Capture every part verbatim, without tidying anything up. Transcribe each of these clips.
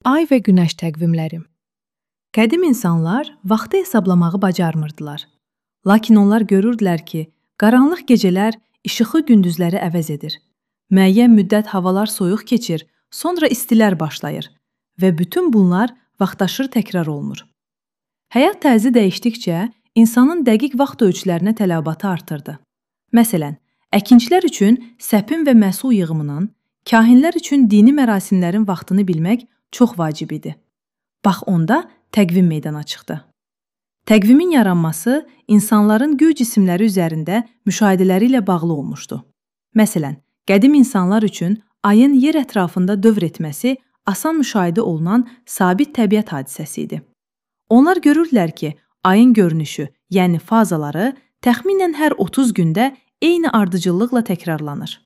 Ay və günəş təqvimləri. Qədim insanlar vaxtı hesablamağı bacarmırdılar. Lakin onlar görürdülər ki, qaranlıq gecələr işıqlı gündüzləri əvəz edir. Müəyyən müddət havalar soyuq keçir, sonra istilər başlayır və bütün bunlar vaxtaşırı təkrar olunur. Həyat tərzi dəyişdikcə insanın dəqiq vaxt ölçülərinə tələbatı artırdı. Məsələn, əkinçilər üçün səpin və məhsul yığımının, kahinlər üçün dini mərasimlərin vaxtını bilmək çox vacib idi. Bax onda təqvim meydana çıxdı. Təqvimin yaranması insanların göy cisimləri üzərində müşahidələri ilə bağlı olmuşdu. Məsələn, qədim insanlar üçün ayın yer ətrafında dövr etməsi asan müşahidə olunan sabit təbiət hadisəsi idi. Onlar görürdülər ki, ayın görünüşü, yəni fazaları təxminən hər otuz gündə eyni ardıcıllıqla təkrarlanır.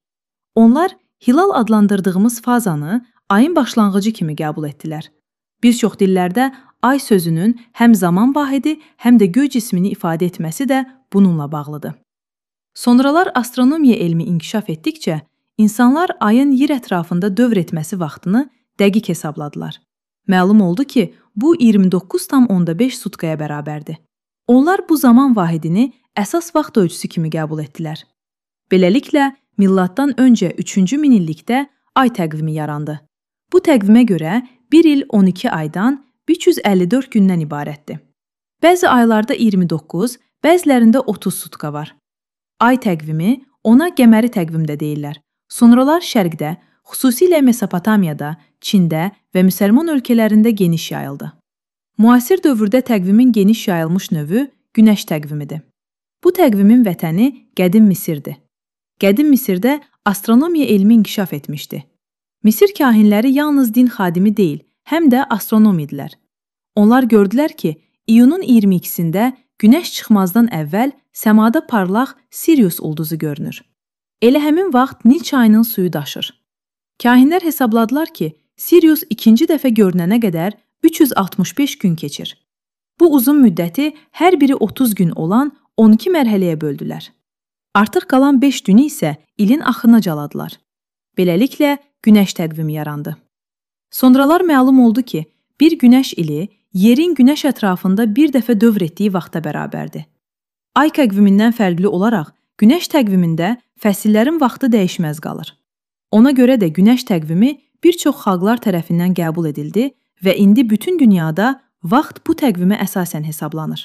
Onlar hilal adlandırdığımız fazanı ayın başlanğıcı kimi qəbul etdilər. Bir çox dillərdə ay sözünün həm zaman vahidi, həm də göy cismini ifadə etməsi də bununla bağlıdır. Sonralar astronomiya elmi inkişaf etdikcə, insanlar ayın yer ətrafında dövr etməsi vaxtını dəqiq hesabladılar. Məlum oldu ki, bu iyirmi doqquz tam onda beş sutkaya bərabərdir. Onlar bu zaman vahidini əsas vaxt ölçüsü kimi qəbul etdilər. Beləliklə, milladdan öncə üçüncü minillikdə ay təqvimi yarandı. Bu təqvimə görə bir il on iki aydan üç yüz əlli dörd gündən ibarətdir. Bəzi aylarda iyirmi doqquz, bəzilərində otuz sutka var. Ay təqvimi ona qəməri təqvim də deyirlər. Sonralar şərqdə, xüsusilə Mesopotamiyada, Çində və müsəlman ölkələrində geniş yayıldı. Müasir dövrdə təqvimin geniş yayılmış növü günəş təqvimidir. Bu təqvimin vətəni qədim Misirdir. Qədim Misirdə astronomiya elmi inkişaf etmişdi. Misir kahinləri yalnız din xadimi deyil, həm də astronom idilər. Onlar gördülər ki, iyunun iyirmi ikisində günəş çıxmazdan əvvəl səmada parlaq Sirius ulduzu görünür. Elə həmin vaxt Nil çayının suyu daşır. Kahinlər hesabladılar ki, Sirius ikinci dəfə görünənə qədər üç yüz altmış beş gün keçir. Bu uzun müddəti hər biri otuz gün olan on iki mərhələyə böldülər. Artıq qalan beş günü isə ilin axırına caladılar. Beləliklə, günəş təqvimi yarandı. Sonralar məlum oldu ki, bir günəş ili yerin günəş ətrafında bir dəfə dövr etdiyi vaxta bərabərdir. Ay təqvimindən fərqli olaraq, günəş təqvimində fəsillərin vaxtı dəyişməz qalır. Ona görə də günəş təqvimi bir çox xalqlar tərəfindən qəbul edildi və indi bütün dünyada vaxt bu təqvimə əsasən hesablanır.